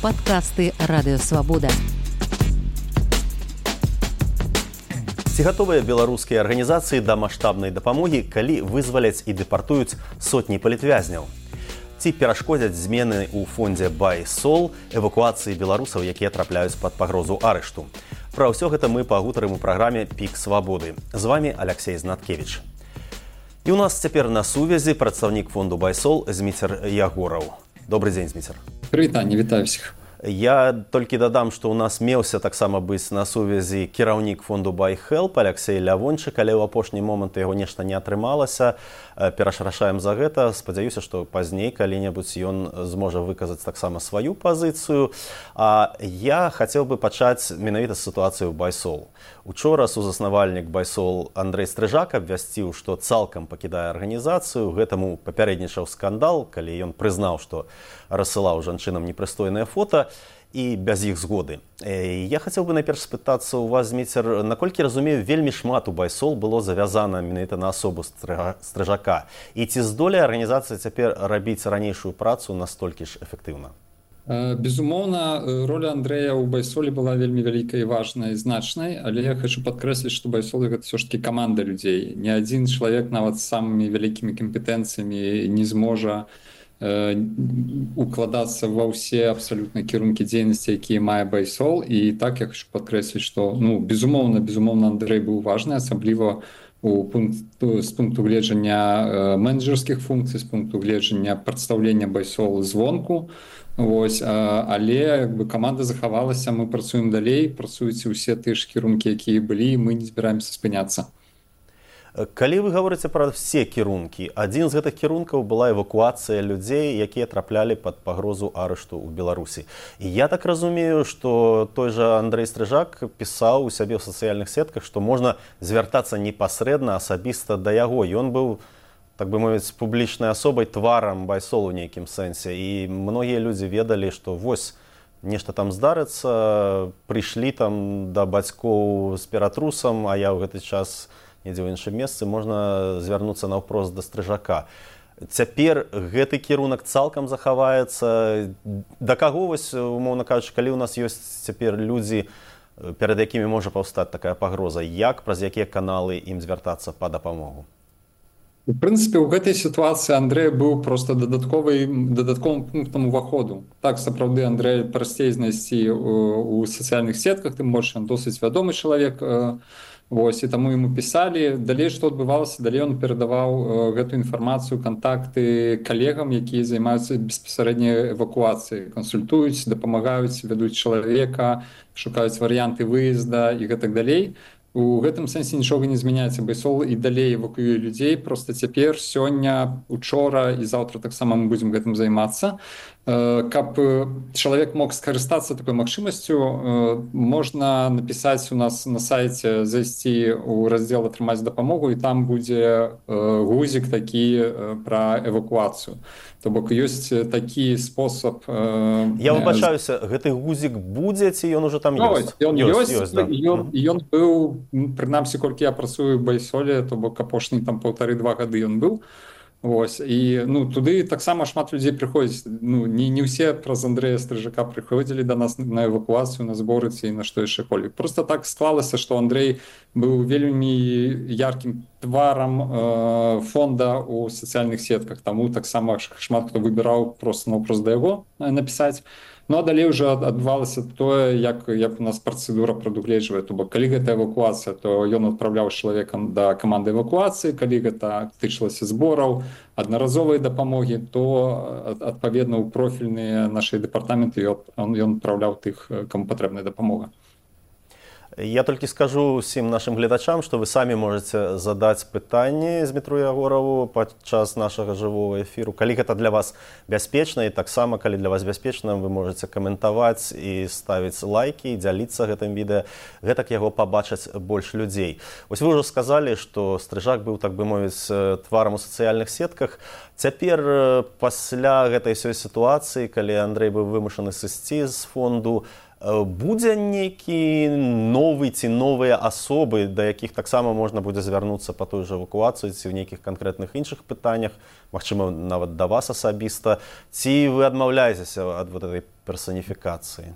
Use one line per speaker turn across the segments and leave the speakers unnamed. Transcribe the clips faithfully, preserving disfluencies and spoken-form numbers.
Падкасты Радыёвабода.
Ці гатовыя беларускія арганізацыі да маштабнай дапамогі, калі вызваляць і дэпартуюць сотні палітвязняў? Ці перашкодзяць змены ў фондзе Байсол эвакуацыі беларусаў, якія трапляюць пад пагрозу арышту? Пра ўсё гэта мы пагутарым у праграме «Пік свабоды». З вамі Аляксей Знаткевіч. І ў нас цяпер на сувязі прадстаўнік фонду Байсол Зміцер Ягораў. Добры дзень, Зміцер.
Прывітанне, вітаю ўсіх.
Я толькі дадам, што ў нас меўся таксама быць на сувязі кіраўнік фонду Байхелп Аляксей Лявончык, але ў апошні момант яго нешта не атрымалася. Перашрашаем за гэта. Спадзяюся, што пазней калі-небудзь ён зможа выказаць таксама сваю пазіцыю. А я хацеў бы пачаць менавіта з сітуацыі ў Байсол. Учора сузаснавальнік Байсол Андрэй Стрыжак абвясціў, што цалкам пакідае арганізацыю. Гэтаму папярэднічаў скандал, калі ён прызнаў, што рассылаў жанчынам непрыстойнае фота і без іх згоды. Я хацеў бы найперш спытацца ў вас, Зміцер, наколькі разумею, вельмі шмат у Байсол было завязана менавіта на асобу Стрыжака. І ці здолее арганізацыя цяпер рабіць ранейшую працу настолькі ж эфектыўна?
Безумоўна, роля Андрэя ў Байсоле была вельмі вялікай, важнай, значнай, але я хочу падкрэсліць, што Байсол гэта ўсё ж такі каманда людзей. Ні адзін чалавек нават з самымі вялікімі кампетэнцыямі не зможа укладацца ва ўсе абсалютна кірункі дзейнасці, якія мае Байсол. І так я хочу падкрэсліць, што ну, безумоўна, безумоўна, Андрэй быў важны, асабліва у пункт, з пункту гледжання менеджерскіх функцый, з пункту гледжання прадстаўлення Байсол звонку. Вось, але як бы каманда захавалася, мы працуем далей, працуюць усе тыя ж кірункі, якія былі, і мы не збіраемся спыняцца.
Калі вы гаворыце пра все кірункі, адзін з гэтых кірункаў была эвакуацыя людзей, якія траплялі пад пагрозу арышту ў Беларусі. І я так разумею, што той жа Андрэй Стрыжак пісаў у сябе ў сацыяльных сетках, што можна звяртацца непасрэдна асабіста да яго. Ён быў, так бы мовіць, публічнай асобай, тварам Байсол у нейкім сэнсе. І многія людзі ведалі, што вось нешта там здарыцца, прыйшлі там да бацькоў з ператрусам, а я ў гэты час недзе ў іншым месцы, можна звярнуцца наўпрост да Стрыжака. Цяпер гэты кірунак цалкам захаваецца. Да каго, вось, умоўна кажучы, калі ў нас ёсць цяпер людзі, перад якімі можа паўстаць такая пагроза, як, праз якія каналы ім звяртацца па дапамогу?
У прынцыпе, у гэтай сітуацыі Андрэй быў проста дадатковым пунктам уваходу. Так, сапраўды, Андрэй прасцей знайсці у сацыяльных сетках, тым больш ён досыць вядомы чалавек. Вось, і таму яму пісалі. Далей, што адбывалася, далей ён перадаваў гэту інфармацыю, кантакты калегам, якія займаюцца беспасарэдняй эвакуацыяй, кансультуюць, дапамагаюць, вядуць чалавека, шукаюць варыянты выезда і гэтак далей. У гэтым сэнсе нічога не змяняецца. Байсол і далей эвакуюе людзей. Проста цяпер, сёння, учора і заўтра таксама мы будзем гэтым займацца. Каб чалавек мог скарыстацца такой магчымасцю, можна напісаць у нас на сайце, зайсці ў раздзел «Атрымаць дапамогу», і там будзе гузік такі пра эвакуацыю. То бок ёсць такі спосаб.
Я выбачаюся, гэты гузік будзе, ці ён ужо там ёсць?
Ён ёсць, ён быў, прынамсі, колькі я працую ў Байсоле, то бок апошні там паўтары-два гады ён быў. Вось, і ну, туды таксама шмат людзей прыходзіць. Ну, не, не ўсе праз Андрэя Стрыжака прыходзілі да нас на эвакуацыю, на зборы ці на што яшчэ колі. Проста так склалася, што Андрэй быў вельмі яркім тварам э, фонда ў сацыяльных сетках. Таму таксама шмат хто выбіраў проста наўпрост да яго напісаць. Ну, а далей уже адбывалася тое, як, як у нас працэдура прадугледжвае. То бок, калі гэта эвакуацыя, то ён адпраўляў з чалавекам да каманды эвакуацыі. Калі гэта тычылася збораў, аднаразовай дапамогі, то адпаведна ў профільныя нашы дэпартаменты ён, ён адпраўляў тых, каму патрэбная дапамога.
Я толькі скажу ўсім нашым гледачам, што вы самі можаце задаць пытанні Змітру Ягораву падчас нашага жывога эфіру. Калі гэта для вас бяспечна, і таксама, калі для вас бяспечна, вы можаце каментаваць і ставіць лайкі, і дзяліцца гэтым відэа. Гэтак яго пабачаць больш людзей. Вось вы ўжо сказалі, што Стрыжак быў, так бы мовіць, тварам у сацыяльных сетках. Цяпер, пасля гэтай сёй сітуацыі, калі Андрэй быў вымушаны сысці з фонду, Будзе нейкі новы ці новыя асобы, да якіх таксама можна будзе звярнуцца па той жа эвакуацыі ці ў нейкіх канкрэтных іншых пытаннях, магчыма, нават да вас асабіста, ці вы адмаўляецеся ад вот этой персаніфікацыі?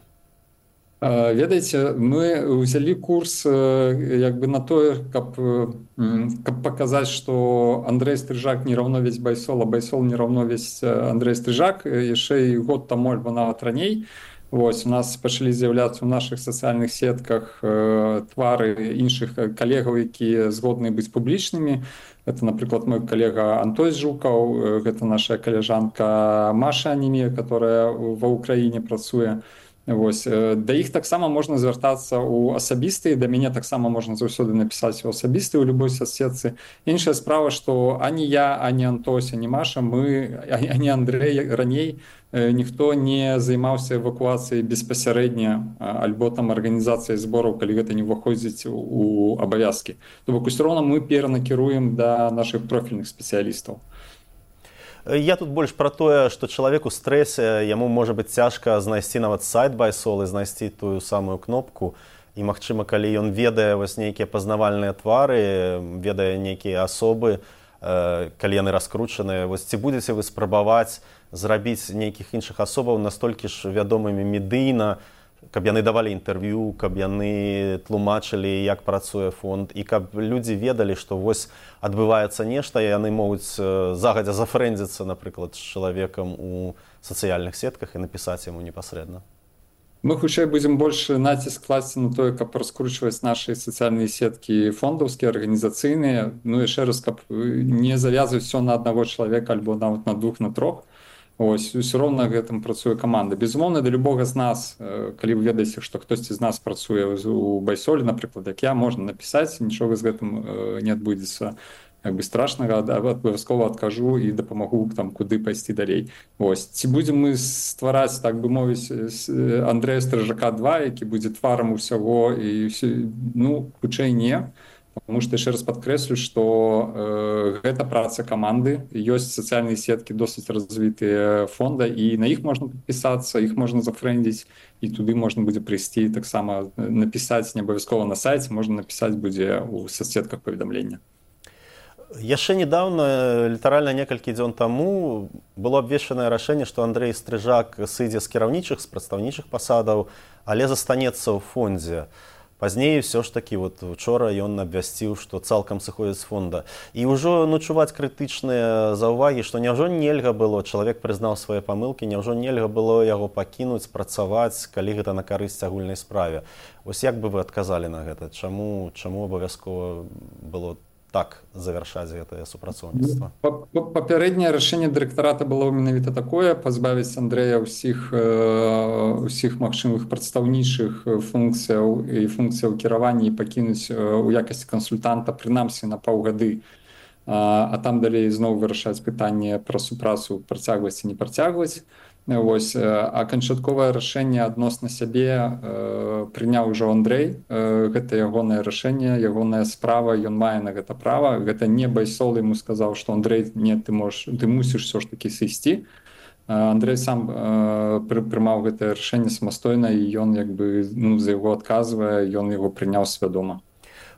Ведаеце, мы ўзялі курс як бы на тое, каб, каб паказаць, што Андрэй Стрыжак не раўно весь Байсол, а Байсол не раўно весь Андрэй Стрыжак, яшчэ і год таму альбо нават раней. Вось, у нас пачалі з'яўляцца ў нашых сацыяльных сетках э, твары іншых калегаў, якія згодны быць публічнымі. Это, напрыклад, мой калега Антон Жукаў, гэта наша каляжанка Маша Анемія, которая ва ўкраіне працуе. Вось, да іх таксама можна звяртацца ў асабістыя, да мяне таксама можна заўсёды напісаць у асабістыя ў любой соцсетцы. Іншая справа, што ані я, ані Антось, ані Маша, мы, ані Андрэй раней ніхто не займаўся эвакуацыяй беспасярэдня альбо там арганізацыяй збораў, калі гэта не ўваходзіць у абавязкі. То бок усё роўна мы перанакіруем да нашых профільных спецыялістаў.
Я тут больш пра тое, што чалавек у стрэсе, яму можа быць цяжка знайсці нават сайт Байсол і знайсці тую самую кнопку. І, магчыма, калі ён ведае вось нейкія пазнавальныя твары, ведае нейкія асобы, калі яны раскручаныя, вось ці будзеце вы спрабаваць зрабіць нейкіх іншых асобаў настолькі ж вядомымі медыйна, каб яны давалі інтэрв'ю, каб яны тлумачылі, як працуе фонд, і каб людзі ведалі, што вось адбываецца нешта, і яны могуць загадзя зафрэндзіцца, напрыклад, з чалавекам у сацыяльных сетках і напісаць яму непасрэдна.
Мы хутчэй будзем больш націск класці на тое, каб раскручваць нашы сацыяльныя сеткі фондаўскія, арганізацыйныя, ну яшчэ раз, каб не завязваць все на аднаго чалавека альбо нават на двух, на трох. Ось, усё роўна гэтым працуе каманда. Безумоўна, да любога з нас, калі вы ведаеце, што хтосьці з нас працуе у Байсоле, напрыклад, як я, можна напісаць, нічога з гэтым не адбудзецца як бы страшнага, абавязкова адкажу і дапамагу там куды пайсці далей. Ось, ці будзем мы ствараць, так бы мовіць, Андрэя Стрыжака два, які будзе тварам усяго, і ну, хутчэй не. Потому что яшчэ раз падкрэслю, што э, гэта праца каманды, ёсць сацыяльныя сеткі досыць развітыя фонда, і на іх можна падпісацца, іх можна зафрэндзіць, і туды можна будзе прыйсці таксама напісаць не абавязкова на сайце, можна напісаць будзе ў соцсетках паведамлення.
Яшчэ недавно, літаральна некалькі дзён таму, было абвешчанае рашэнне, што Андрэй Стрыжак сыдзе з кіраўнічых, з прадстаўнічых пасадаў, але застанецца ў фондзе. Пазней все ж таки вот учора ён абвясціў, што цалкам сыходзіць з фонда. І ўжо ну, чуваць крытычныя заўвагі, што няўжо нельга было, чалавек прызнаў свае памылкі, няўжо нельга было яго пакінуць, працаваць, калі гэта на карысць агульнай справе. Вось як бы вы адказалі на гэта? Чаму, чаму абавязкова было так завяршаць гэтае супрацоўніцтва?
Папярэдняе рашэнне дырэктарата было менавіта такое, пазбавіць Андрэя ўсіх, ўсіх магчымых прадстаўнічых функцыяў і функцыяў кіравання і пакінуць у якасці кансультанта прынамсі на паўгады, а там далей зноў вырашаць пытанне пра супрацу, працягваць ці не працягваць. Вось, а канчатковае рашэнне адносна сябе э, прыняў ужо Андрэй. Э, гэта ягонае рашэнне, ягоная справа, ён мае на гэта права. Гэта не Байсол яму сказаў, што Андрэй, не, ты, можеш, ты мусіш все ж такі сысці. Э, Андрэй сам э, пры, прымаў гэтае рашэнне самастойна, і ён як бы, ну, за яго адказвае, ён яго прыняў свядома.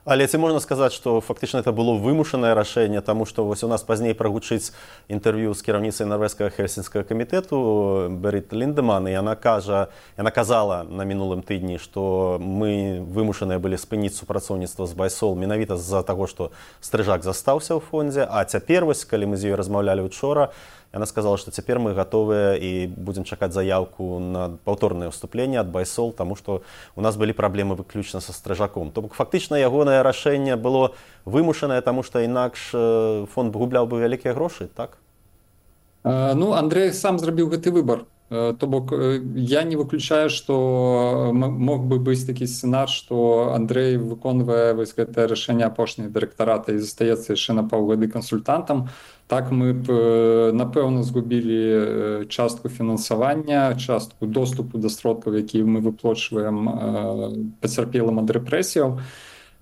Але ці можна сказаць, што фактычна это было вымушанае рашэнне, таму што вось у нас пазней прагучыць інтэрв'ю з кіраўніцай нарвежскага хельсінскага камітэту Берит Ліндеман, і яна кажа, яна казала на мінулым тыдні, што мы вымушаныя былі спыніць супрацоўніцтва з Байсол менавіта з-за таго, што Стрыжак застаўся ў фондзе, а цяпер вось, калі мы з ёй размаўлялі учора, яна сказала, што цяпер мы гатовыя і будзем чакаць заяўку на паўторнае ўступленне ад Байсол, таму што у нас былі праблемы выключна са Стрыжаком. То бок фактычна ягонае рашэнне было вымушанае, таму што інакш фонд губляў бы вялікія грошы, так?
Ну, Андрэй сам зрабіў гэты выбар. То бок я не выключаю, што мог бы быць такі сцэнар, што Андрэй выконвае вось гэтае рашэнне апошняй дырэктарата і застаецца яшчэ на паўгады кансультантам. Так мы б, напэўна, згубілі частку фінансавання, частку доступу да сродкаў, якія мы выплачваем пацярпелым ад рэпрэсіяў.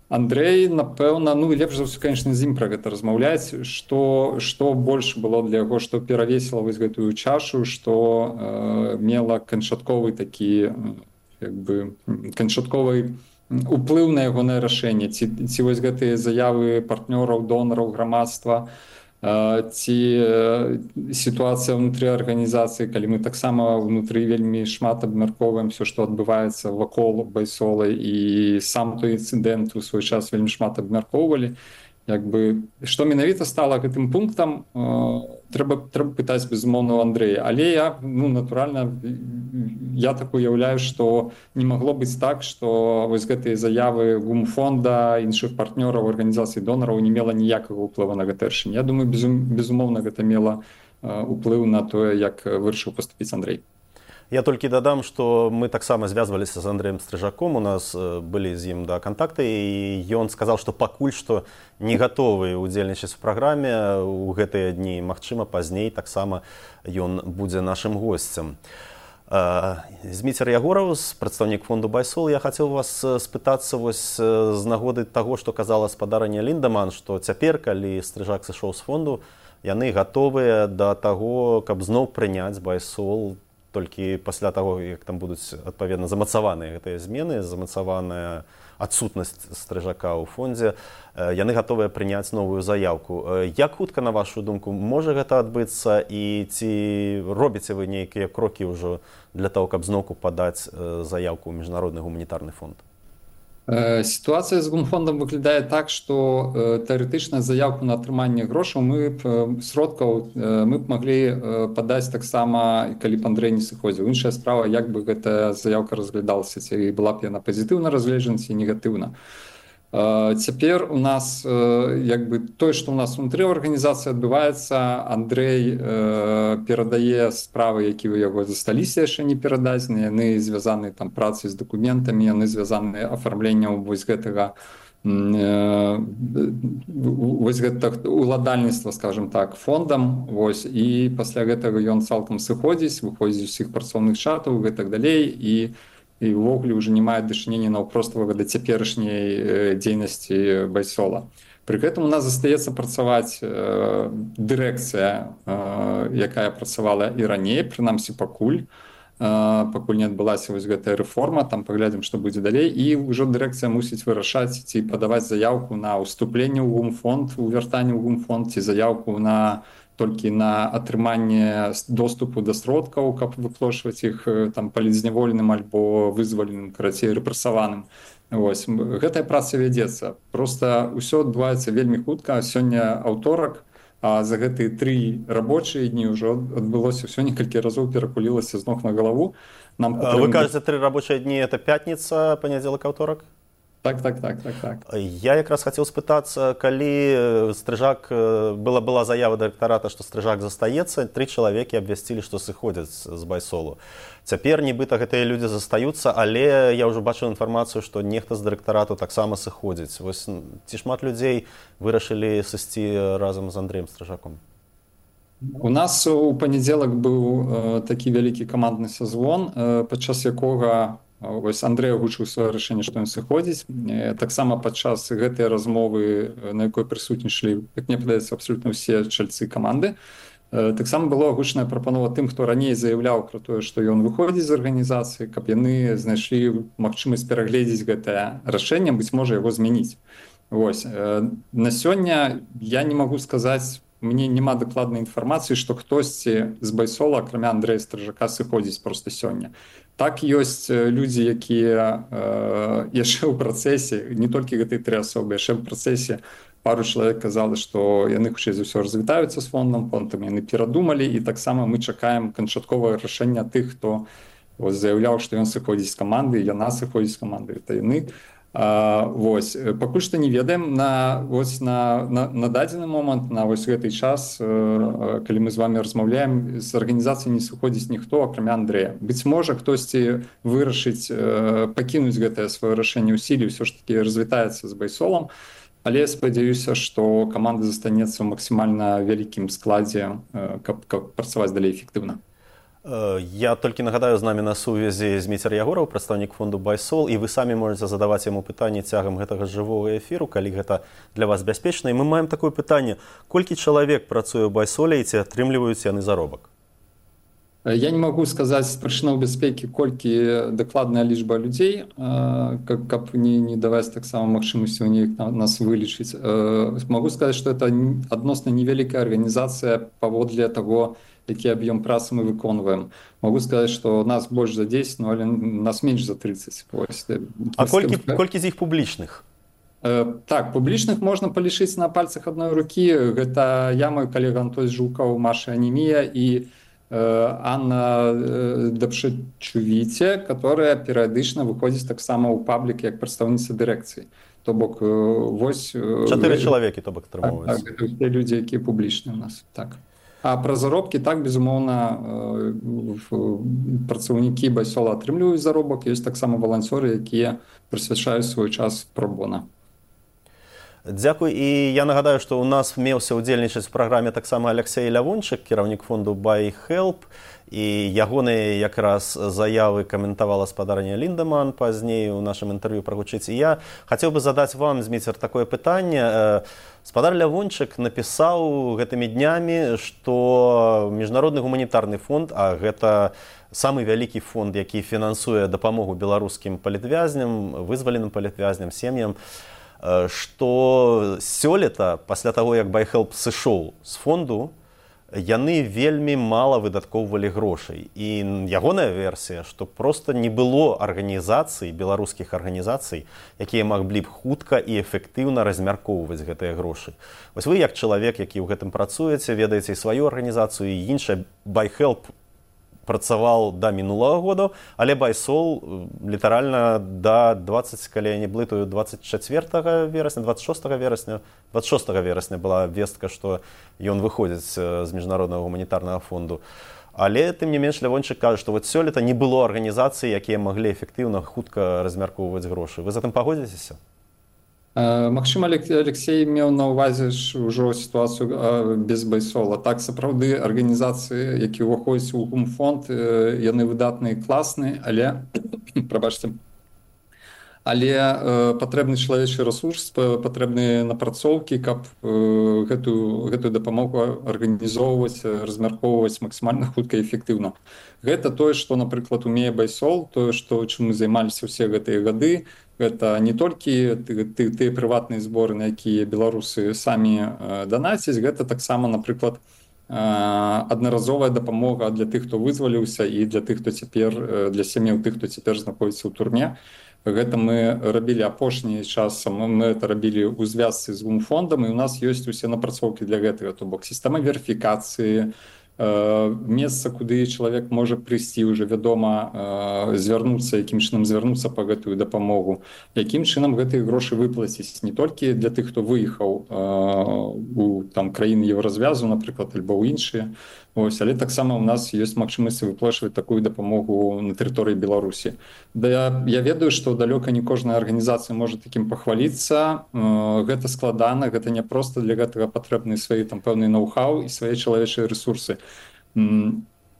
Андрэй, напэўна, ну лепш за ўсё, конечно, з ім пра гэта размаўляць, што, што больш было для яго, што перавесіла вось гэтую чашу, што э, мела канчатковы такі як бы канчатковы уплыў на ягонае рашэнне, ці, ці вось гэтыя заявы партнёраў, донараў, грамадства, ці сітуацыя ўнутры арганізацыі, калі мы таксама ўнутры вельмі шмат абмяркоўваем все, што адбываецца вакол байсола, і сам той інцыдэнт у свой час вельмі шмат абмяркоўвалі. Як бы, што менавіта стала гэтым пунктам, трэба, трэба пытаць, безумоўна, у Андрэя. Але я, ну, натуральна, я так уяўляю, што не магло быць так, што вось гэтыя заявы гумфонда, іншых партнёраў, арганізацый донараў не мела ніякага ўплыву на гэта рашэнне. Я думаю, безум, безумоўна, гэта мела ўплыў на тое, як вырашыў паступіць Андрэй.
Я толькі дадам, што мы таксама звязваліся з Андрэем Стрыжаком, у нас былі з ім да кантакты, і ён сказаў, што пакуль што не гатовы ўдзельнічаць у праграме ў гэтыя дні. Магчыма, пазней таксама ён будзе нашым госцем. Зміцер Ягораў, прадстаўнік фонду Байсол, я хацеў вас спытацца вось з нагоды таго, што казала спадарня Ліндеман, што цяпер, калі Стрыжак сышоў з фонду, яны гатовыя да таго, каб зноў прыняць Байсол, толькі пасля таго, як там будуць адпаведна замацаваныя гэтыя змены, замацаваная адсутнасць Стрыжака ў фондзе, яны гатовыя прыняць новую заяўку. Як хутка, на вашу думку, можа гэта адбыцца, і ці робіце вы нейкія крокі ўжо для таго, каб зноўку падаць заяўку ў міжнародны гуманітарны фонд?
Сітуацыя з гумфондам выглядае так, што тэарэтычна заявку на атрыманне грошаў мы б сродкаў мы б маглі падаць таксама, калі б Андрэй не сыходзіў. Іншая справа, як бы гэтая заявка разглядалася, ці была б яна пазітыўна разгледжана, ці негатыўна. Цяпер у нас, як бы, тое, што ў нас унутры арганізацыі адбываецца, Андрэй перадае справы, якія ў яго засталіся яшчэ не перададзены, яны звязаны там працай з дакументамі, яны звязаны афармленнем вось гэтага вось гэтага уладальніцтва, скажем так, фондам, вось, і пасля гэтага ён цалкам сыходзіць, выходзіць з усіх працоўных чатаў і гэтак далей, і і ўвогуле ўжо не мае дачынення наўпростава да цяперашняй дзейнасці Байсола. Пры гэтым у нас застаецца працаваць дырэкцыя, якая працавала і раней, прынамсі пакуль, пакуль не адбылася вось гэтая рэформа, там паглядзім, што будзе далей, і ўжо дырэкцыя мусіць вырашаць, ці падаваць заяўку на ўступленне ў гумфонд, у вяртанне ў гумфонд, ці заяўку на толькі на атрыманне доступу да сродкаў, каб выплошваць іх там палізняволеным альбо вызваленым, карацей, рэпрэсаваным. Вось. Гэтая праца вядзецца. Проста ўсё адбываецца вельмі хутка. Сёння аўторак, а за гэтыя тры рабочыя дні ўжо адбылося ўсё некалькі разоў перакулілася з ног на галаву.
Нам патреб... Вы кажаце, тры рабочыя дні — это пятніца, панядзелак, аўторак?
Так, так, так, так, так.
Я якраз хацеў спытацца, калі Стрыжак, была, была заява дырэктарата, што Стрыжак застаецца, тры чалавекі абвясцілі, што сыходзяць з Байсолу. Цяпер нібыта гэтыя людзі застаюцца, але я ўжо бачыў інфармацыю, што нехта з дырэктарату таксама сыходзіць. Вось, ці шмат людзей вырашылі сысці разам з Андрэем Стрыжаком?
У нас у панядзелак быў э, такі вялікі камандны сазвон, э, падчас якога вось Андрэй агучыў сваё рашэнне, што ён сыходзіць. Таксама падчас гэтай размовы, на якой прысутнічалі, як мне падаецца, абсалютна ўсе чальцы каманды, таксама была агучаная прапанова тым, хто раней заяўляў пра тое, што ён выходзіць з арганізацыі, каб яны знайшлі магчымасць перагледзець гэтае рашэнне, быць можа яго змяніць. Вось. На сёння я не магу сказаць, мне няма дакладнай інфармацыі, што хтосьці з Байсола, акрамя Андрэя Стрыжака, сыходзіць проста сёння. Так, ёсць людзі, якія э, яшчэ ў працэсе, не толькі гэтыя тры асобы, яшчэ ў працэсе пару чалавек казалі, што яны хутчэй за ўсё развітаюцца з фондам, фондам яны перадумалі, і таксама мы чакаем канчатковае рашэння тых, хто вось, заяўляў, што ён сыходзіць з каманды, яна сыходзіць з каманды, гэта яны. А, вось. Пакуль што не ведаем, на, вось, на, на, на дадзены момант, на вось гэты час, э, калі мы з вами размаўляем, з арганізацыі не сыходзіць ніхто, акрамя Андрэя. Быць можа, хтосьці вырашыць э, пакінуць гэтае сваё рашэнне ў сіле, ўсё ж такі развітаецца з Байсолам, але спадзяюся, што каманда застанецца ў максімальна вялікім складзе, э, каб, каб працаваць далей эфектыўна.
Я толькі нагадаю, з намі на сувязі Зміцер Ягораў, прадстаўнік фонду Байсол, і вы самі можаце задаваць яму пытанні цягам гэтага жывога эфіру, калі гэта для вас бяспечна. І мы маем такое пытанне: колькі чалавек працуе ў Байсоле і ці атрымліваюць яны заробак?
Я не могу сказаць з прычынаў бяспекі, колькі дакладная лічба людзей, каб не, не даваць таксама магчымасці ў неяк нас вылічыць. Могу сказаць, што это адносна невялікая арганізацыя паводле таго, які аб'ём працы мы выконваем. Могу сказаць, што нас больш за дзесяць, но але нас менш за трыццаць. Вось.
А колькі, колькі з іх публічных?
Так, публічных можна палічыць на пальцах адной рукі. Гэта я, мой калега Антон Жукаў, Маша Анемія і Анна Дапшачувіце, которая перыядычна выходзіць таксама ў паблік як прадстаўніца дырэкцыі. То бок вось
чатыры чалавекі, то бок атрымоўваецца.
Так, так, те людзі, якія публічныя ў нас. Так. А пра заробкі, так, безумоўна, працаўнікі байсола атрымліваюць заробак, ёсць таксама валанцёры, якія прысвячаюць свой час пра-бона.
Дзякуй. І я нагадаю, што ў нас меўся ўдзельнічаць у праграме таксама Алексей Лявончык, кіраўнік фонду BuyHelp, і ягоныя якраз заявы каментавала спадарня Ліндеман пазней у нашым інтэрв'ю прагучыць. І я хацеў бы задаць вам, Зміцер, такое пытанне. Спадар Лявончык напісаў гэтымі днямі, што Міжнародны гуманітарны фонд, а гэта самы вялікі фонд, які фінансуе дапамогу беларускім палітвязням, вызваленым палітвязням, сем'ям, што сёлета, пасля таго, як BuyHelp сышоў з фонду, яны вельмі мала выдаткоўвалі грошай. І ягоная версія, што проста не было арганізацый, беларускіх арганізацый, якія маглі б хутка і эфектыўна размяркоўваць гэтыя грошы. Вось вы, як чалавек, які ў гэтым працуеце, ведаеце і сваю арганізацыю, і іншая, BuyHelp працаваў да мінулага года, але байсол літаральна да двадцать, калі я не блытаю, двадцать чацвёртага верасня, двадцать шостага верасня, двадцать шостага верасня была вестка, што ён выходзіць з Міжнароднага гуманітарнага фонду. Але, тым не менш, Лявончык кажа, што вот сёлета не было арганізацый, якія маглі эфектыўна хутка размяркоўваць грошы. Вы з гэтым пагодзіцеся?
Магчыма, Алексей меў на ўвазе ўжо сітуацыю без байсола. Так, сапраўды, арганізацыі, якія ўваходзяць у гумфонд, яны выдатныя і класныя, але, прабачце, але патрэбны чалавечы рэсурс, патрэбныя напрацоўкі, каб гэтую, гэтую дапамогу арганізоўваць, размяркоўваць максімальна хутка і эфектыўна. Гэта тое, што, напрыклад, умее байсол, тое, што, чым мы займаліся ўсе гэтыя гады. Гэта не толькі тыя прыватныя зборы, на якія беларусы самі данацяць, гэта таксама, напрыклад, аднаразовая дапамога для тых, хто вызваліўся, і для тых, хто цяпер, для сям'яў тых, хто цяпер знаходзіцца ў турме. Гэта мы рабілі апошні час, мы это рабілі ў звязцы з гумфондам, і ў нас ёсць усе напрацоўкі для гэтага, то бок сістэма верыфікацыі, месца, куды чалавек можа прыйсці, уже вядома, звярнуцца, якім чынам звярнуцца па гэтую дапамогу, якім чынам гэтыя грошы выплаціць не толькі для тых, хто выехаў у там краіны еўразвязу, напрыклад, альбо ў іншыя, ось, але таксама ў нас ёсць магчымасць выплачваць такую дапамогу на тэрыторыі Беларусі. Да, я ведаю, што далёка не кожная арганізацыя можа такім пахваліцца. Гэта складана, гэта не проста, для гэтага патрэбны свае там пэўныя ноу-хау і свае чалавечыя рэсурсы.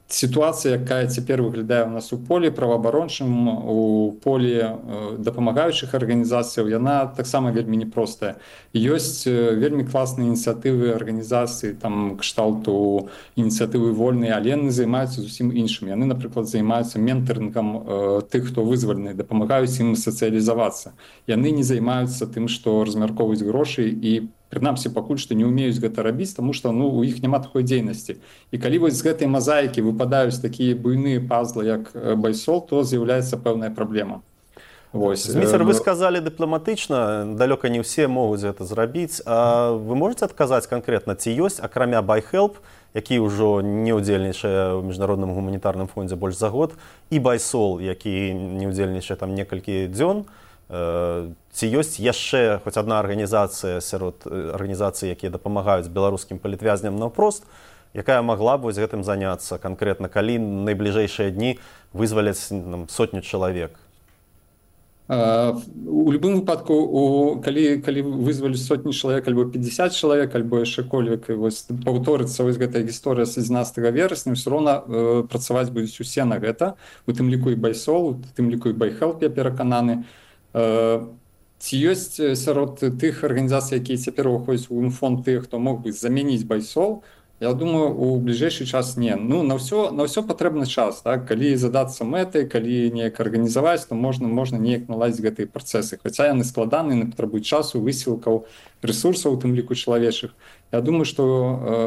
Сітуацыя, якая цяпер выглядае ў нас у полі праваабарончым, у полі дапамагаючых арганізацыяў, яна таксама вельмі непростая. Ёсць вельмі класныя ініцыятывы арганізацыі, там кшталту ініцыятывы вольныя, але яны займаюцца зусім іншым. Яны, напрыклад, займаюцца ментарынгам тых, хто вызвалены, дапамагаюць ім сацыялізавацца. Яны не займаюцца тым, што размяркоўваюць грошы, і прынамсі, пакуль што не ўмеюць гэта рабіць, таму што ну, у іх няма такой дзейнасці. І калі вось з гэтай мазаікі выпадаюць такія буйныя пазлы, як байсол, то з'яўляецца пэўная праблема.
Зміцер, вы сказалі дыпламатычна, далёка не ўсе могуць гэта зрабіць. А вы можаце адказаць канкрэтна, ці ёсць, акрамя BuyHelp, які ўжо не ўдзельнічае ў Міжнародным гуманітарным фондзе больш за год, і байсол, які не ўдзельнічае там некалькі дзён, ці ёсць яшчэ хоць адна арганізацыя сярод арганізацый, якія дапамагаюць беларускім палітвязням наўпрост, якая магла б вось гэтым заняцца канкрэтна, калі найбліжэйшыя дні вызваляць там, сотню чалавек?
У любым выпадку, у, калі, калі вызвалі сотні чалавек, альбо пятьдесят чалавек, альбо яшчэ кольвек, паўторыцца вось гэтая гісторыя з адзінаццатага верасня, ўсё роўна э, працаваць будуць усе на гэта, у тым ліку і байсол, у тым ліку і BuyHelp, я перакананы. Ці ёсць сярод тых арганізацый, якія цяпер уваходзяць у гумфонд, тых, хто мог бы замяніць байсол, Я думаю, у бліжэйшы час не. Ну, на ўсё, на ўсё патрэбны час. Так? Калі задацца мэтай, калі неяк арганізаваць, то можна, можна неяк наладзіць гэтыя працэсы. Хаця яны складаныя, яны патрабуюць часу, высілкаў, рэсурсаў, у тым ліку чалавечых. Я думаю, што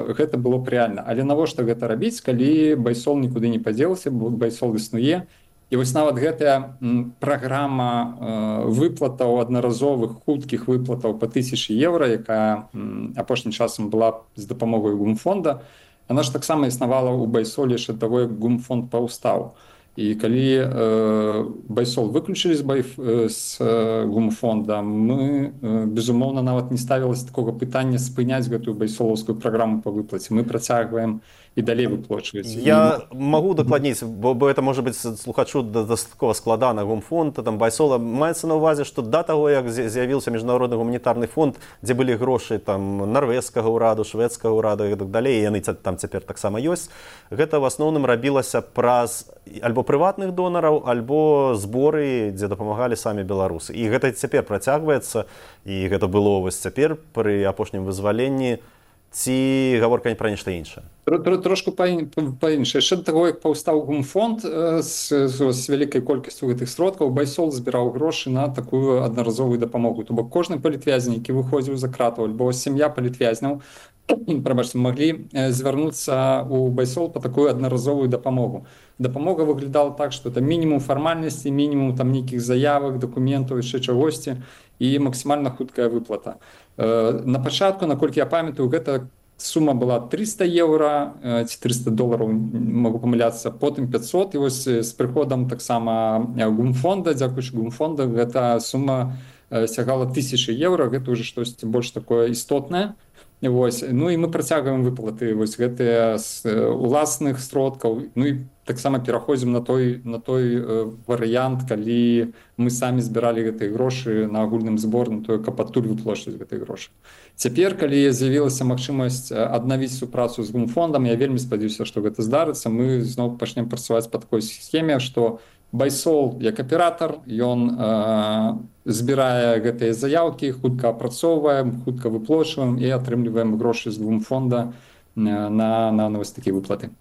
э, гэта было б рэальна. Але навошта гэта рабіць, калі байсол нікуды не падзелася, байсол існуе. І вось нават гэтая праграма э, выплатаў аднаразовых хуткіх выплатаў па тысячы еўра, якая м, апошнім часам была з дапамогай гумфонда, она ж таксама існавала ў байсоле яшчэ таго, як гумфонд паўстаў. І калі э, байсол выключылі з, бай, э, з э, гумфонда, мы, э, безумоўна, нават не ставілася такога пытання спыняць гэтую байсолаўскую праграму па выплаце. Мы працягваем і далей выплачваць.
Я і... магу дакладніць, бо, бо это можа быць слухачу дастаткова складана. Гумфонд, там байсола, маецца на ўвазе, што да таго, як з'явіўся міжнародны гуманітарны фонд, дзе былі грошы там нарвежскага ўраду, шведскага ўраду і так далей, яны там цяпер таксама ёсць, гэта ў асноўным рабілася праз альбо прыватных донараў, альбо зборы, дзе дапамагалі самі беларусы. І гэта цяпер працягваецца, і гэта было вось цяпер пры апошнім вызваленні. Ці гаворка не пра нешта іншае?
Трошку па-іншае. Яшчэ да таго, як паўстаў гумфонд з, з, з вялікай колькасцю гэтых сродкаў, байсол збіраў грошы на такую аднаразовую дапамогу. То бок кожны палітвязень, які выходзіў за кратаў, альбо сям'я палітвязняў, прабачце, маглі звярнуцца ў байсол па такую аднаразовую дапамогу. Дапамога выглядала так, што это мінімум фармальнасці, мінімум там нейкіх заявак, дакументаў, яшчэ чагосьці, і максімальна хуткая выплата. На пачатку, наколькі я памятаю, гэта сума была трыста еўра ці трыста долараў, магу памыляцца, потым пяцьсот, і вось з прыходам таксама гумфонда, дзякуючы гумфонда, гэта сума сягала тысячы еўра, гэта ўжо штосьці больш такое істотнае. Вось. Ну і мы працягваем выплаты вось гэтыя з уласных сродкаў, ну і таксама пераходзім на той, на той э, варыянт, калі мы самі збіралі гэтыя грошы на агульным збор, на той, каб адтуль выплачваць гэтыя грошы. Цяпер, калі з'явілася магчымасць аднавіць супрацу з гумфондам, я вельмі спадзяюся, што гэта здарыцца, мы зноў пачнем працаваць па такой схеме, што байсол як аператар, ён э, збірае гэтыя заяўкі, хутка апрацоўваем, хутка выплачваем і атрымліваем грошы з гумфонда на, на, на вось такія выплаты.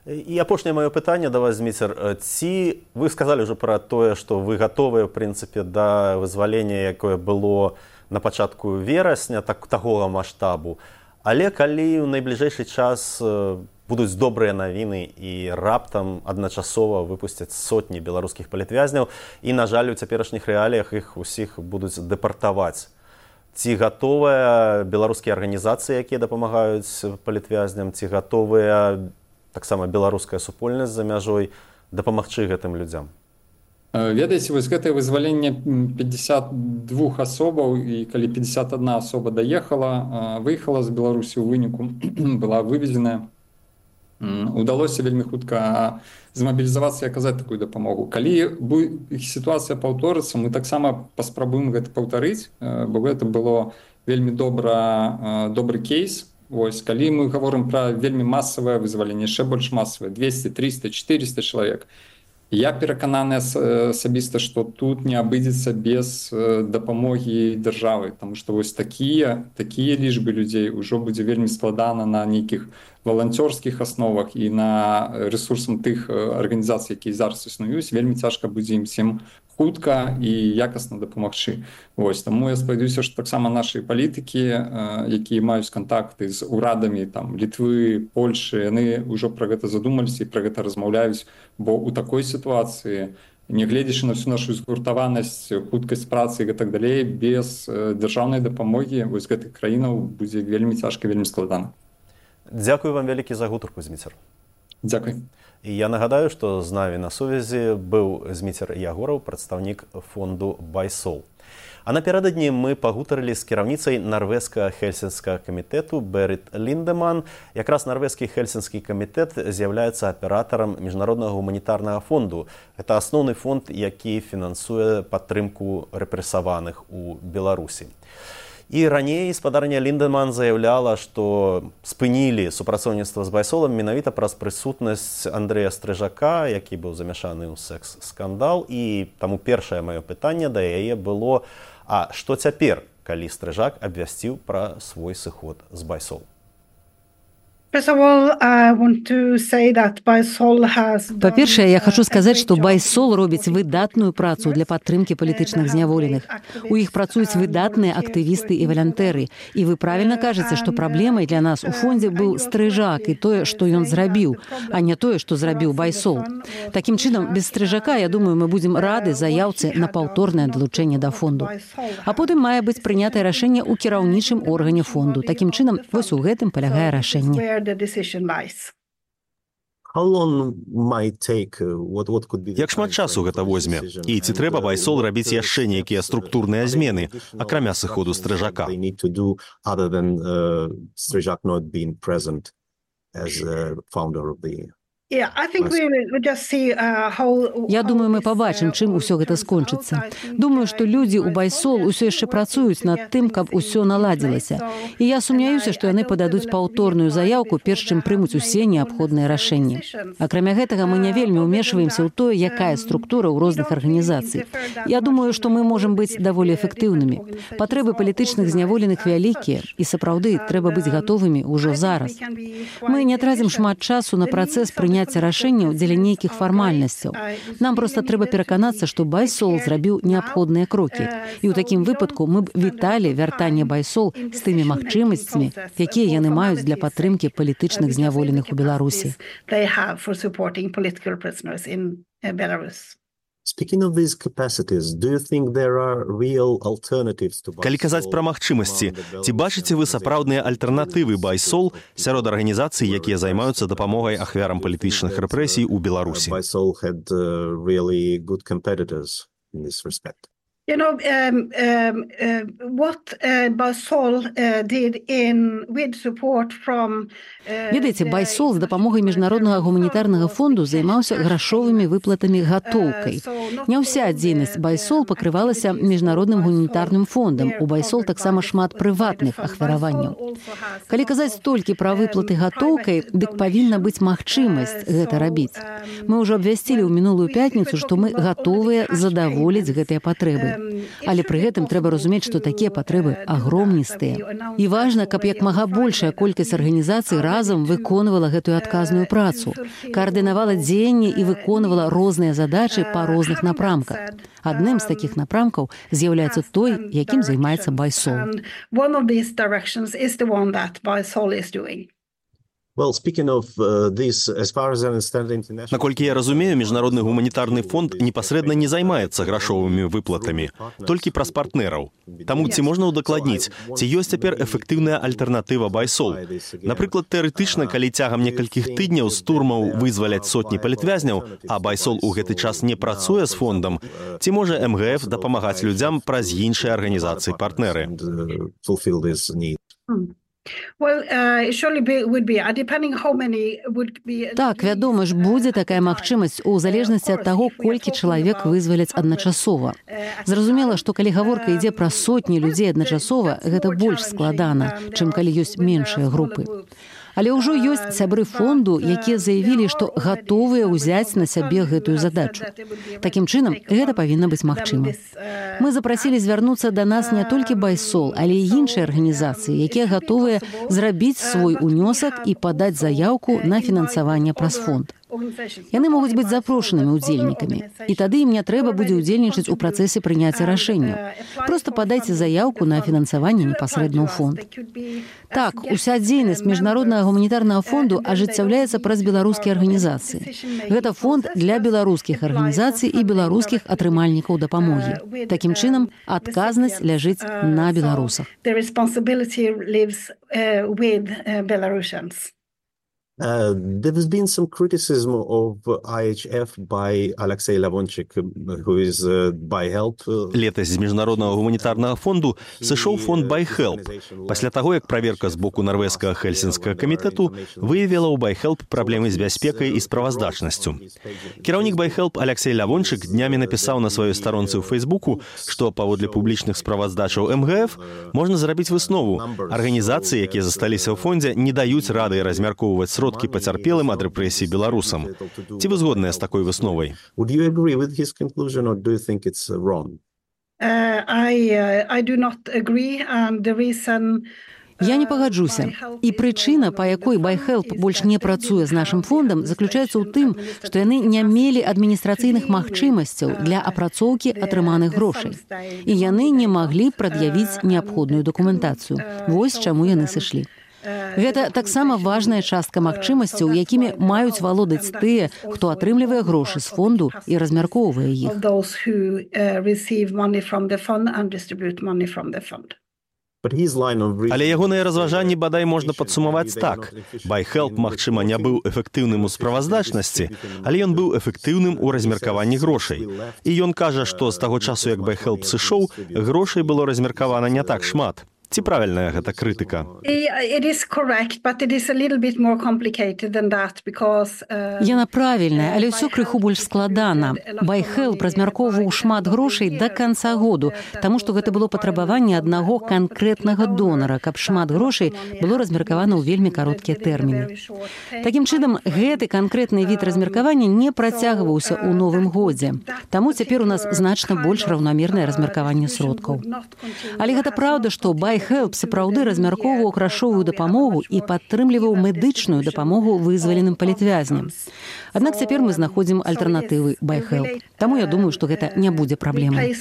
І апошняе маё пытанне да вас, Зміцер. Ці вы сказалі ўжо пра тое, што вы гатовыя, ў прынцыпе, да вызвалення, якое было на пачатку верасня, так, такога маштабу. Але калі ў найбліжэйшы час будуць добрыя навіны і раптам адначасова выпусцяць сотні беларускіх палітвязняў, і, на жаль, у цяперашніх рэаліях іх усіх будуць дэпартаваць. Ці гатовыя беларускія арганізацыі, якія дапамагаюць палітвязням, ці гатовыя таксама беларуская супольнасць за мяжой дапамагчы гэтым людзям?
Ведаеце, вось гэтае вызваленне пятьдесят два асобаў, і калі пятьдесят одна асоба даехала, выехала з Беларусі ў выніку, была вывезеная, удалося вельмі хутка змабілізавацца і аказаць такую дапамогу. Калі сітуацыя паўторыцца, мы таксама паспрабуем гэта паўтарыць, бо гэта было вельмі добра, добры кейс. Вось, калі мы гаворым пра вельмі масавае вызваленне, яшчэ больш масавае, двести, триста, четыреста чалавек, я перакананы асабіста, што тут не абыдзецца без дапамогі дзяржавы, таму што вось такія, такія лічбы людзей ўжо будзе вельмі складана на нейкіх валанцёрскіх асновах і на рэсурсам тых арганізацый, якія зараз існуюць, вельмі цяжка будзе ім всім хутка і якасна дапамагчы. Вось, таму я спадзяюся, што таксама нашы палітыкі, якія маюць кантакты з урадамі там, Літвы, Польшы, яны ўжо пра гэта задумаліся і пра гэта размаўляюць, бо ў такой сітуацыі, нягледзячы на всю нашу згуртаванасць, хуткасць працы і так далей, без дзяржаўнай дапамогі вось гэтых краінаў будзе вельмі цяжка, вельмі складана.
Дзякую вам вялікі за гутарку, Зміцер.
Дзякуй.
І я нагадаю, што з намі на сувязі быў Зміцер Ягораў, прадстаўнік фонду байсол. А напярэдадні мы пагутарылі з кіраўніцай нарвежскага хельсінскага камітэту Берит Линдеман. Якраз нарвежскі хельсінскі камітэт з'яўляецца аператарам міжнароднага гуманітарнага фонду. Гэта асноўны фонд, які фінансуе падтрымку рэпрэсаваных у Беларусі. І раней спадарня Линдеман заяўляла, што спынілі супрацоўніцтва з байсолам менавіта праз прысутнасць Андрэя Стрыжака, які быў замяшаны ў секс-скандал. І таму першае маё пытанне да яе было: а што цяпер, калі Стрыжак абвясціў пра свой сыход з байсол?
Па-першае, я хачу сказаць, што байсол робіць выдатную працу для падтрымкі палітычных зняволеных. У іх працуюць выдатныя актывісты і валянтэры. І вы правільна кажаце, што праблемай для нас у фондзе быў стрыжак і тое, што ён зрабіў, а не тое, што зрабіў байсол. Такім чынам, без стрыжака, я думаю, мы будзем рады заяўцы на паўторнае далучэнне да фонду. А потым мае быць прынятае рашэнне ў кіраўнічым органе фонду. Такім чынам, вось у гэтым палягае рашэнне.
Як шмат часу гэта возьме? І ці трэба байсол рабіць яшчэ нейкія структурныя змены, акрамя сыходу стрыжака?
Я думаю, мы пабачым, чым усё гэта скончыцца. Думаю, што людзі ў байсол усё яшчэ працуюць над тым, каб усё наладзілася. І я сумняюся, што яны пададуць паўторную заяўку, перш чым прымуць усе неабходныя рашэнні. Акрамя гэтага, мы не вельмі ўмешваемся ў тое, якая структура ў розных арганізацый. Я думаю, што мы можам быць даволі эфектыўнымі. Патрэбы палітычных зняволеных вялікія, і сапраўды трэба быць гатовымі ўжо зараз. Мы не трацім шмат часу на працэс прыняцця рашэнняў дзеля нейкіх фармальнасцяў. Нам проста трэба пераканацца, што байсол зрабіў неабходныя крокі. І ў такім выпадку мы б віталі вяртанне байсол з тымі магчымасцямі, якія яны маюць для падтрымкі палітычных зняволеных у Беларусі.
Калі казаць пра магчымасці, ці бачыце вы сапраўдныя альтэрнатывы байсол сярод арганізацый, якія займаюцца дапамогай ахвярам палітычных рэпрэсій у Беларусі?
You know, um, um, uh, what uh, Basol uh, did in with support from
Ведаеце, байсол з дапамогай міжнароднага гуманітарнага фонду займаўся грашовымі выплатамі гатоўкай. Не ўся дзейнасць байсол пакрывалася міжнародным гуманітарным фондам. У байсол таксама шмат прыватных ахвяраванняў. Калі казаць толькі пра выплаты гатоўкай, дык павінна быць магчымасць гэта рабіць. Мы ўжо абвясцілі ў мінулую пятніцу, што мы гатовыя задаволіць гэтыя патрэбы. Але пры гэтым трэба разумець, што такія патрэбы агромністыя. І важна, каб як мага большая колькасць арганізацый разам выконвала гэтую адказную працу, каардынавала дзеянні і выконвала розныя задачы па розных напрамках. Адным з такіх напрамкаў з'яўляецца той, якім займаецца байсол.
Наколькі я разумею, міжнародны гуманітарны фонд непасрэдна не займаецца грашовымі выплатамі, толькі праз партнераў. Таму ці можна ўдакладніць, ці ёсць цяпер эфектыўная альтэрнатыва байсол? Напрыклад, тэарэтычна, калі цягам некалькіх тыдняў з турмаў вызваляць сотні палітвязняў, а байсол у гэты час не працуе з фондам, ці можа эм гэ эф дапамагаць людзям праз іншыя арганізацыі-партнеры?
Так, вядома ж, будзе такая магчымасць у залежнасці ад таго, колькі чалавек вызваляць адначасова. Зразумела, што калі гаворка ідзе пра сотні людзей адначасова, гэта больш складана, чым калі ёсць меншыя групы. Але ўжо ёсць сябры фонду, якія заявілі, што гатовыя ўзяць на сябе гэтую задачу. Такім чынам, гэта павінна быць магчыма. Мы запрасілі звярнуцца да нас не толькі байсол, але і іншыя арганізацыі, якія гатовыя зрабіць свой унёсак і падаць заяўку на фінансаванне праз фонд. Яны могуць быць запрошанымі ўдзельнікамі, і тады ім не трэба будзе ўдзельнічаць у працэсе прыняцця рашэнняў. Проста падайце заяўку на фінансаванне непасрэдна ў фонд. Так, уся дзейнасць міжнароднага гуманітарнага фонду ажыццяўляецца праз беларускія арганізацыі. Гэта фонд для беларускіх арганізацый і беларускіх атрымальнікаў дапамогі. Такім чынам, адказнасць ляжыць на беларусах.
Uh, there has been some criticism of I H F by Alexei Lavonchik, who is uh, ByHelp.
Летась з міжнароднага гуманітарнага фонду сышоў фонд ByHelp. Пасля таго, як праверка з боку нарвежскага Хельсінскага камітэту выявіла ў ByHelp праблемы з бяспекай і справаздачнасцю. Кіраўнік ByHelp Алексей Лавончык днямі напісаў на сваёй старонцы ў Фейсбуку, што паводле публічных справаздачаў эм гэ эф можна зрабіць выснову. Арганізацыі, якія засталіся ў фондзе, не даюць рады размяркоўваць сродкі пацярпелым ад рэпрэсій беларусам. Ці вы згодныя з такой высновай?
Would you agree with his conclusion or do you think it's wrong?
Uh, I, uh, I do not agree, and the reason
Я не пагаджуся. І прычына, па якой BuyHelp больш не працуе з нашым фондам, заключаецца ў тым, што яны не мелі адміністрацыйных магчымасцяў для апрацоўкі атрыманых грошай. І яны не маглі прад'явіць неабходную дакументацыю. Вось чаму яны сышлі. Гэта таксама важная частка магчымасцяў, якімі маюць валодаць тыя, хто атрымлівае грошы з фонду і размяркоўвае іх.
Але ягоныя разважанні бадай можна падсумаваць так. BuyHelp, магчыма, не быў эфектыўным у справаздачнасці, але ён быў эфектыўным у размеркаванні грошай. І ён кажа, што з таго часу, як BuyHelp сышоў, грошай было размеркавана не так шмат. Ці правільная гэта крытыка?
Яна правільная, але ўсё крыху больш складана. BuyHelp размяркоўваў шмат грошай да канца году, таму што гэта было патрабаванне аднаго канкрэтнага донара, каб шмат грошай было размеркавана ў вельмі кароткія тэрміны. Такім чынам, гэты канкрэтны від размеркавання не працягваўся ў новым годзе. Таму цяпер у нас значна больш раўнамернае размеркаванне сродкаў. Але гэта праўда, што BuyHelp BuyHelp сапраўды размяркоўваў грашовую дапамогу і падтрымліваў медычную дапамогу вызваленым палітвязням. Аднак цяпер мы знаходзім альтэрнатывы BuyHelp. Таму я думаю, што гэта не будзе праблемай.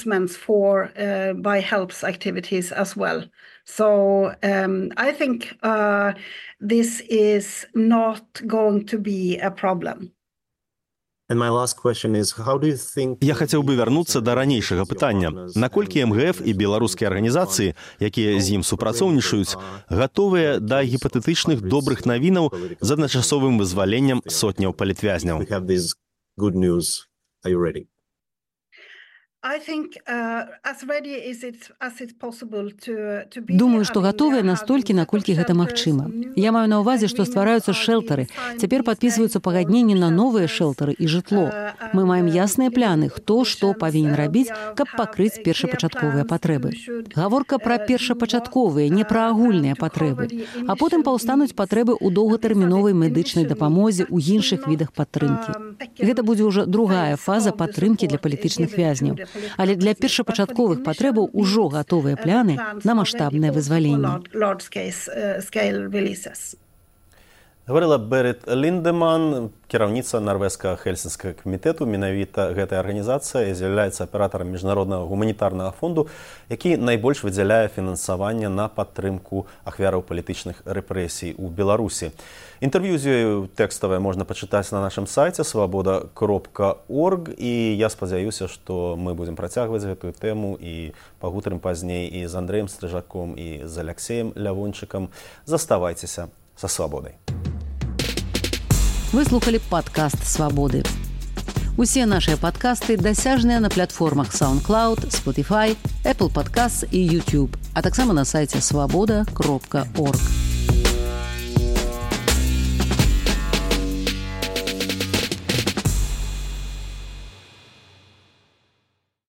So um, I think uh, this is not going to be a problem.
Я хацеў бы вярнуцца да ранейшага пытання. Наколькі эм гэ эф і беларускія арганізацыі, якія з ім супрацоўнічаюць, гатовыя да гіпатэтычных добрых навінаў з адначасовым вызваленнем сотняў палітвязняў?
Думаю, што гатовыя настолькі, наколькі гэта магчыма. Я маю на ўвазе, што ствараюцца шэлтары. Цяпер падпісваюцца пагадненні на новыя шэлтары і жытло. Мы маем ясныя пляны, хто што павінен рабіць, каб пакрыць першапачатковыя патрэбы. Гаворка пра першапачатковыя, не пра агульныя патрэбы. А потым паўстануць патрэбы ў доўгатэрміновай медычнай дапамозе ў іншых відах падтрымкі. Гэта будзе ўжо другая фаза падтрымкі для палітычных вязняў. Але для першапачатковых патрэбаў ужо гатовыя пляны на маштабнае вызваленне.
Гаварыла Берит Линдеман, кіраўніца нарвежскага Хельсінскага камітэту. Менавіта гэтая арганізацыя з'яўляецца аператарам міжнароднага гуманітарнага фонду, які найбольш выдзяляе фінансаванне на падтрымку ахвяраў палітычных рэпрэсій у Беларусі. Інтэрв'ю з ёю тэкставае можна пачытаць на нашым сайце свабода кропка орг, і я спадзяюся, што мы будзем працягваць гэтую тэму і пагутарым пазней і з Андрэем Стрыжаком, і з Аляксеем Лявончыкам. Заставайцеся са свабодай.
Вы слухали падкаст «Свабоды». Усе нашыя падкасты дасяжныя на платформах SoundCloud, Spotify, Apple Podcasts і YouTube, а таксама на сайце свабода кропка орг.